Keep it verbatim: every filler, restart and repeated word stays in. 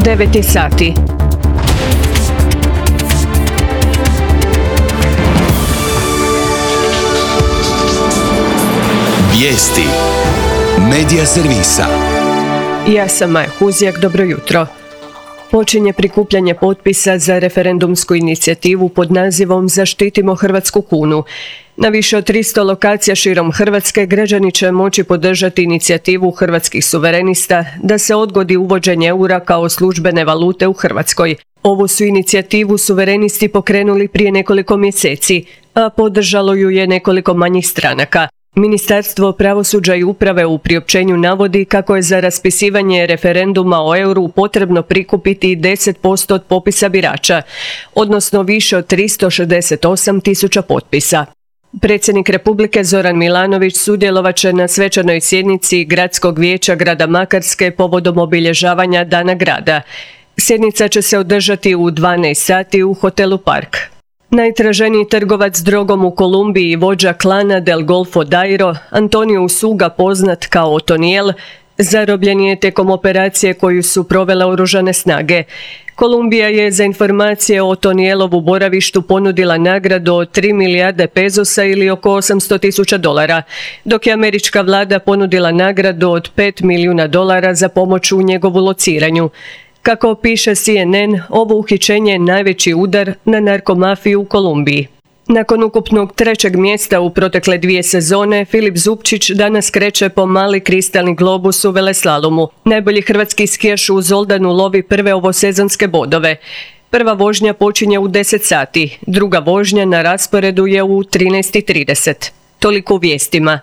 devet sati. Vijesti Medija servisa. Ja sam Maja Huzjak, dobro jutro. Počinje prikupljanje potpisa za referendumsku inicijativu pod nazivom Zaštitimo hrvatsku kunu. Na više od tristo lokacija širom Hrvatske građani će moći podržati inicijativu hrvatskih suverenista da se odgodi uvođenje eura kao službene valute u Hrvatskoj. Ovu su inicijativu suverenisti pokrenuli prije nekoliko mjeseci, a podržalo ju je nekoliko manjih stranaka. Ministarstvo pravosuđa i uprave u priopćenju navodi kako je za raspisivanje referenduma o euru potrebno prikupiti deset posto od popisa birača, odnosno više od tristo šezdeset osam tisuća potpisa. Predsjednik Republike Zoran Milanović sudjelovat će na svečanoj sjednici Gradskog vijeća grada Makarske povodom obilježavanja Dana grada. Sjednica će se održati u dvanaest sati u hotelu Park. Najtraženiji trgovac drogom u Kolumbiji i vođa klana Del Golfo Dairo, Antonio Usuga, poznat kao Otoniel, zarobljen je tijekom operacije koju su provele oružane snage. Kolumbija je za informacije o Otonielovu boravištu ponudila nagradu od tri milijarde pezosa ili oko osamsto tisuća dolara, dok je američka vlada ponudila nagradu od pet milijuna dolara za pomoć u njegovu lociranju. Kako piše C N N, ovo uhićenje je najveći udar na narkomafiju u Kolumbiji. Nakon ukupnog trećeg mjesta u protekle dvije sezone, Filip Zupčić danas kreće po mali kristalni globus u veleslalomu. Najbolji hrvatski skijaš u Zoldanu lovi prve ovosezonske bodove. Prva vožnja počinje u deset sati, druga vožnja na rasporedu je u trinaest i trideset. Toliko u vijestima.